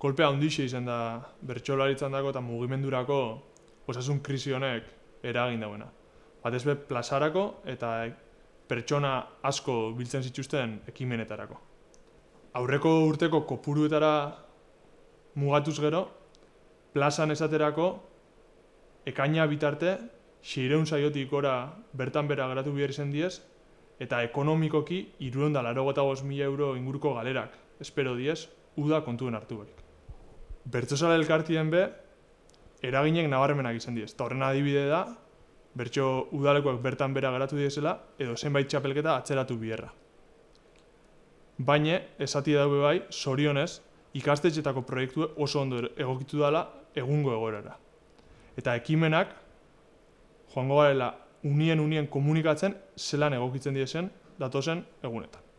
kolpea handixe izan da bertsolaritzan dago eta mugimendurako osasun krisi honek eragin dauena. Batez be plazarako eta pertsona asko biltzen zituzten ekimenetarako. Aurreko urteko kopuruetara mugatuz gero, plazan esaterako ekaina bitarte 600 saiotik gora bertan bera geratu behar izan diez, eta ekonomikoki 385.000 euro inguruko galerak espero diez, uda kontuen hartu berik. Bertsozale elkartien be, eraginek nabarmenak izan diez. Eta horren adibide da, bertso udalekoak bertan bera geratu diezela, edo zenbait txapelketa atzeratu biherra. Baina, esati daube bai, zorionez, ikastetxetako proiektu oso ondo egokitu dela egungo egoerara. Eta ekimenak, joango garela unien komunikatzen zelan egokitzen diezen datozen egunetan.